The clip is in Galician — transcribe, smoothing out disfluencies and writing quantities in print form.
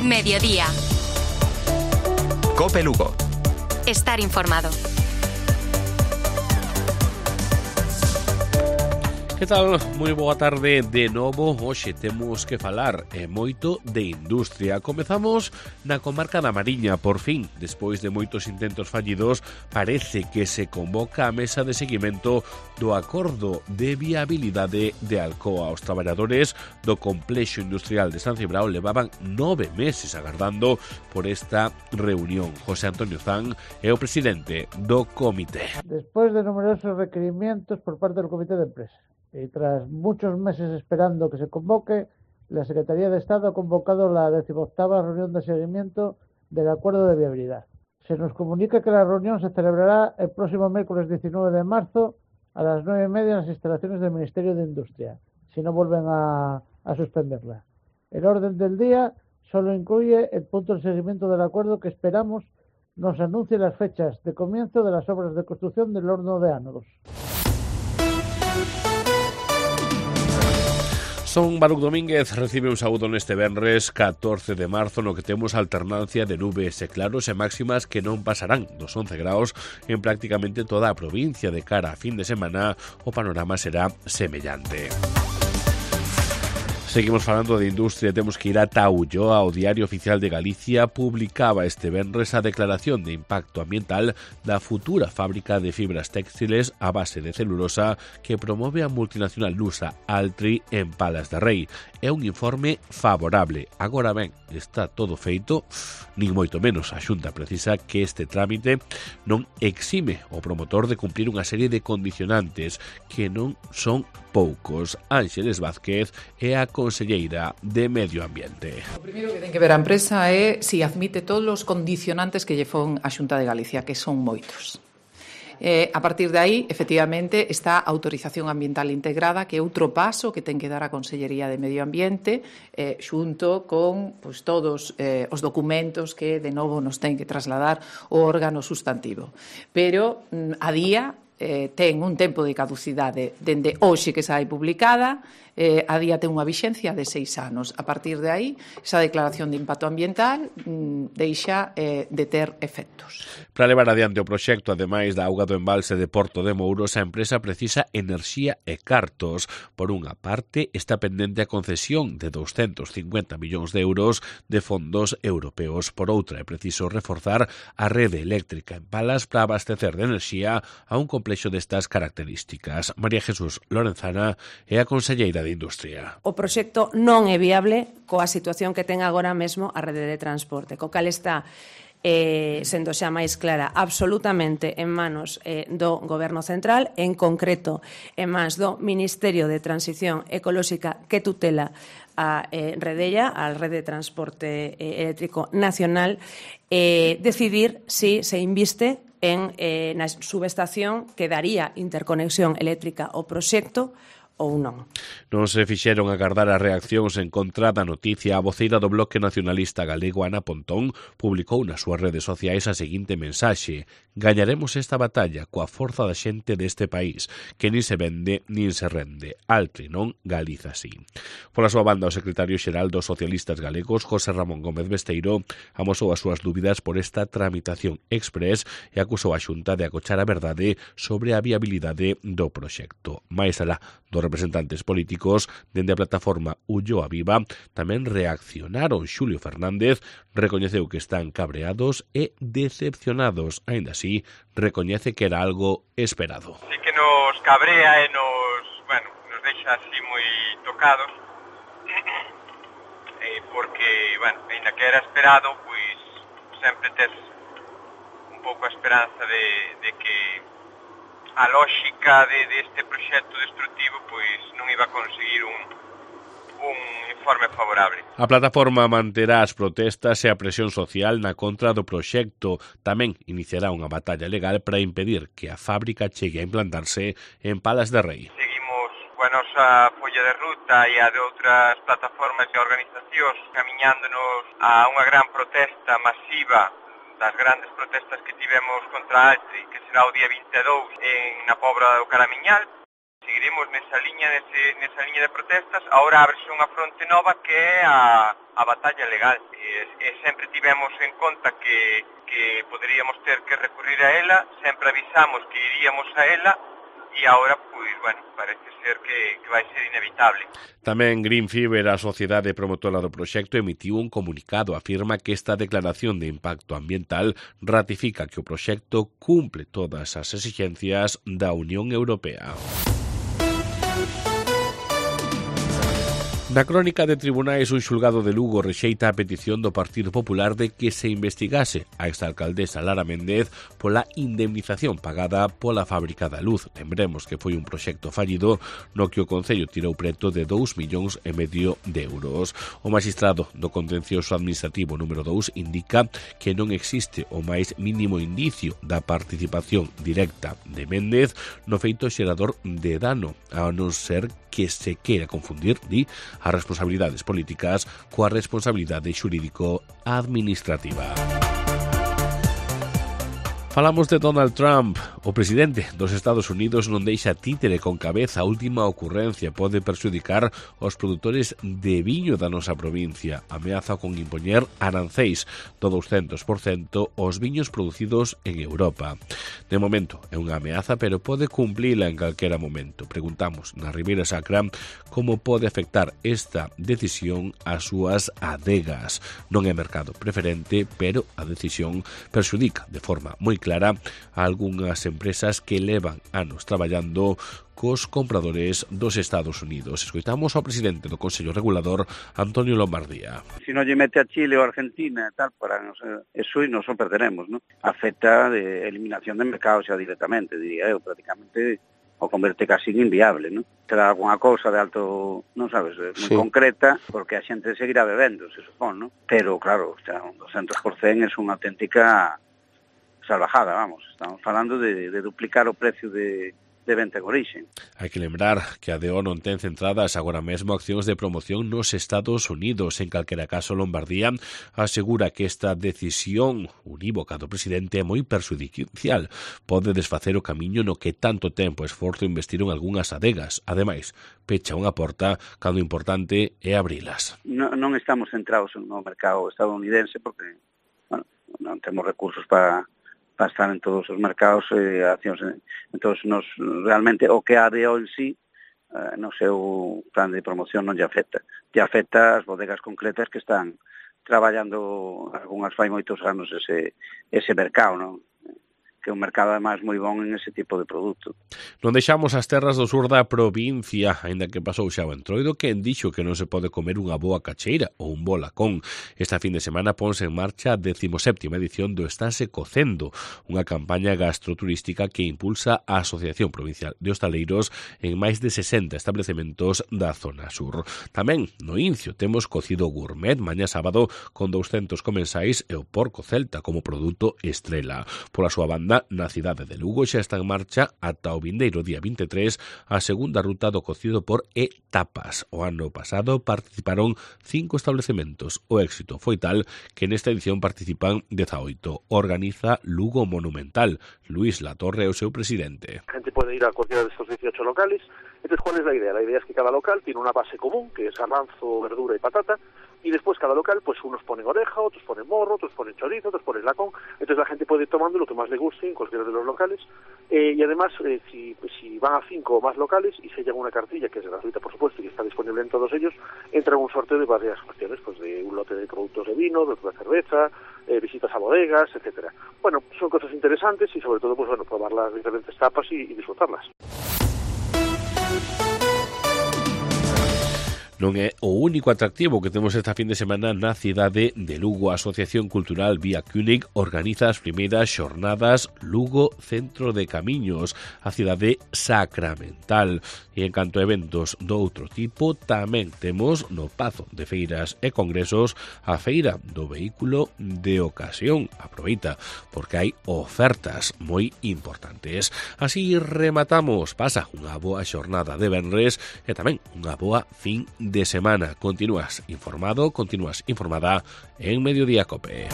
Mediodía. COPE Lugo. Estar informado. Que tal? Moi boa tarde de novo. Hoxe temos que falar moito de industria. Comezamos na comarca da Mariña. Por fin, despois de moitos intentos fallidos, parece que se convoca a mesa de seguimento do acordo de viabilidade de Alcoa. Os traballadores do complexo industrial de San Cibrao levaban 9 meses agardando por esta reunión. José Antonio Zan é o presidente do comité. Despois de numerosos requerimientos por parte del comité de empresa y tras muchos meses esperando que se convoque, la Secretaría de Estado ha convocado la 18ª reunión de seguimiento del acuerdo de viabilidad. Se nos comunica que la reunión se celebrará el próximo miércoles 19 de marzo a las 9:30 en las instalaciones del Ministerio de Industria, si no vuelven a suspenderla. El orden del día solo incluye el punto de seguimiento del acuerdo que esperamos nos anuncie las fechas de comienzo de las obras de construcción del horno de ánodos. Son Baruch Domínguez recibe un saúdo neste venres 14 de marzo no que temos alternancia de nubes e claros e máximas que non pasarán dos 11 graus en prácticamente toda a provincia. De cara a fin de semana o panorama será semellante. Seguimos falando de industria, temos que ir ata Ulloa. O Diario Oficial de Galicia publicaba este venres a declaración de impacto ambiental da futura fábrica de fibras téxtiles a base de celulosa que promove a multinacional lusa Altri en Palas de Rei. É un informe favorable. Agora ben, está todo feito, nin moito menos. A Xunta precisa que este trámite non exime o promotor de cumplir unha serie de condicionantes que non son poucos. Ángeles Vázquez é a conselleira de Medio Ambiente. O primeiro que ten que ver a empresa é se admite todos os condicionantes que lle fon a Xunta de Galicia, que son moitos. A partir de aí, efectivamente, está a autorización ambiental integrada, que é outro paso que ten que dar a Consellería de Medio Ambiente, xunto con todos os documentos que, de novo, nos ten que trasladar o órgano sustantivo. Pero, a día, ten un tempo de caducidade dende hoxe que sai publicada, a día ten unha vixencia de 6 anos. A partir de aí, esa declaración de impacto ambiental deixa de ter efectos. Para levar adiante o proxecto, ademais da auga do embalse de Porto de Mouros, a empresa precisa enerxía e cartos. Por unha parte, está pendente a concesión de 250 millóns de euros de fondos europeos. Por outra, é preciso reforzar a rede eléctrica en Palas para abastecer de enerxía a un complexo destas características. María Jesús Lorenzana é a conselleira de Industria. O proxecto non é viable coa situación que ten agora mesmo a rede de transporte, co cal está sendo xa máis clara absolutamente en manos do Goberno Central, en concreto en mans do Ministerio de Transición Ecolóxica que tutela a Redella, a Rede de Transporte Eléctrico Nacional, decidir si se inviste na subestación que daría interconexión eléctrica ao proxecto ou non. Non se fixeron agardar as reaccións en contra da noticia. A voceira do Bloque Nacionalista Galego, Ana Pontón, publicou nas súas redes sociais a seguinte mensaxe: gañaremos esta batalla coa forza da xente deste país, que nin se vende nin se rende. Altri non, Galiza sí. Pola súa banda, o secretario xeral dos socialistas galegos, José Ramón Gómez Besteiro, amosou as súas dúbidas por esta tramitación express e acusou a Xunta de acochar a verdade sobre a viabilidade do proxecto. Mais alá dos representantes políticos, dende a plataforma Ulloa Viva, tamén reaccionaron. Xulio Fernández recoñeceu que están cabreados e decepcionados. Aínda así, recoñece que era algo esperado. Sí que nos cabrea e nos deixa así moi tocados, porque, aínda que era esperado, pois sempre tes un pouco a esperanza de que a lógica deste proxecto destructivo pois non iba a conseguir un informe favorable. A plataforma manterá as protestas e a presión social na contra do proxecto. Tamén iniciará unha batalla legal para impedir que a fábrica chegue a implantarse en Palas de Rei. Seguimos coa nosa folla de ruta e a de outras plataformas e organizacións camiñándonos a unha gran protesta masiva das grandes protestas que tivemos contra Altri, que será o día 22 na Pobra do Caramiñal. seguiremos nesa liña de protestas. Ahora ábrese unha fronte nova que é a batalla legal. E sempre tivemos en conta que poderíamos ter que recurrir a ela, sempre avisamos que iríamos a ela, e agora, pois, bueno, parece ser que vai ser inevitable. Tamén Green Fever, a sociedade promotora do proxecto, emitiu un comunicado. Afirma que esta declaración de impacto ambiental ratifica que o proxecto cumple todas as exixencias da Unión Europea. Na crónica de tribunais, un xulgado de Lugo rexeita a petición do Partido Popular de que se investigase a exalcaldesa Lara Méndez pola indemnización pagada pola fábrica da luz. Lembremos que foi un proxecto fallido no que o Concello tirou preto de 2,5 millóns de euros. O magistrado do Contencioso Administrativo número 2 indica que non existe o máis mínimo indicio da participación directa de Méndez no feito xerador de dano, a non ser que se queira confundir, di, as responsabilidades políticas coa responsabilidade xurídico-administrativa. Falamos de Donald Trump. O presidente dos Estados Unidos non deixa títere con cabeza. A última ocurrencia pode perxudicar os produtores de viño da nosa provincia. Ameaza con impoñer aranceis do 200% aos viños producidos en Europa. De momento é unha ameaza, pero pode cumplila en calquera momento. Preguntamos na Ribeira Sacra como pode afectar esta decisión ás súas adegas. Non é mercado preferente, pero a decisión perxudica de forma moi clara a algunhas empresas que levan anos traballando cos compradores dos Estados Unidos. Escoitamos ao presidente do Consello Regulador, Antonio Lombardía. Si non lle mete a Chile ou a Argentina, tal, para eso e nos o perderemos, ¿no? Afecta de eliminación de mercado xa directamente, diría eu, prácticamente o converte casi inviable, ¿no? Será alguna cousa de alto, non sabes, moi concreta, porque a xente seguirá bebendo, se supón, ¿no? Pero, claro, un 200% é unha auténtica salvajada, vamos. Estamos falando de duplicar o precio de venta en origen. Hai que lembrar que a DO non ten centradas agora mesmo accións de promoción nos Estados Unidos. En calquera caso, Lombardía asegura que esta decisión unívoca do presidente é moi perxudicial. Pode desfacer o camiño no que tanto tempo e esforzo investiron algunhas adegas. Ademais, pecha unha porta cando o importante é abrilas. Non estamos centrados no mercado estadounidense porque, bueno, non temos recursos para estar en todos os mercados e accións. Entón, realmente o que a DO en sí no seu plan de promoción non lle afecta. Lle afecta as bodegas concretas que están traballando algunhas fai moitos anos ese mercado, non? Que é un mercado ademais moi bon en ese tipo de produto. Non deixamos as terras do sur da provincia, aínda que pasou xa o entroido, quen dixo que non se pode comer unha boa cacheira ou un bo lacón. Esta fin de semana ponse en marcha a 17ª edición do Estase Cocendo, unha campaña gastroturística que impulsa a Asociación Provincial de Hostaleiros en máis de 60 establecementos da zona sur. Tamén no Incio temos cocido gourmet mañá sábado con 200 comensais e o porco celta como produto estrela. Pola súa banda, na cidade de Lugo xa está en marcha ata o vindeiro día 23 a segunda ruta do cocido por etapas. O ano pasado participaron 5 establecementos. O éxito foi tal que nesta edición participan 18. Organiza Lugo Monumental. Luis Latorre é o seu presidente. La gente puede ir a cualquiera de estos 18 locales. Entonces, ¿cuál es la idea? La idea es que cada local tiene una base común, que es garbanzo, verdura y patata, y después cada local, pues unos ponen oreja, otros ponen morro, otros ponen chorizo, otros ponen lacón. Entonces la gente puede ir tomando lo que más le guste en cualquiera de los locales. Y además, si van a 5 o más locales y se lleva una cartilla, que es gratuita por supuesto y que está disponible en todos ellos, entra en un sorteo de varias cuestiones, pues de un lote de productos de vino, de cerveza, visitas a bodegas, etcétera. Bueno, son cosas interesantes y sobre todo, pues bueno, probar las diferentes tapas y disfrutarlas. Non é o único atractivo que temos esta fin de semana na cidade de Lugo. A Asociación Cultural Vía Cúnig organiza as primeiras xornadas Lugo Centro de Camiños, a cidade sacramental. E en canto a eventos do outro tipo, tamén temos no Pazo de Feiras e Congresos a Feira do Vehículo de Ocasión. Aproveita, porque hai ofertas moi importantes. Así rematamos. Pasa unha boa xornada de venres e tamén unha boa fin de semana. Continúas informado, continúas informada en Mediodía Cope.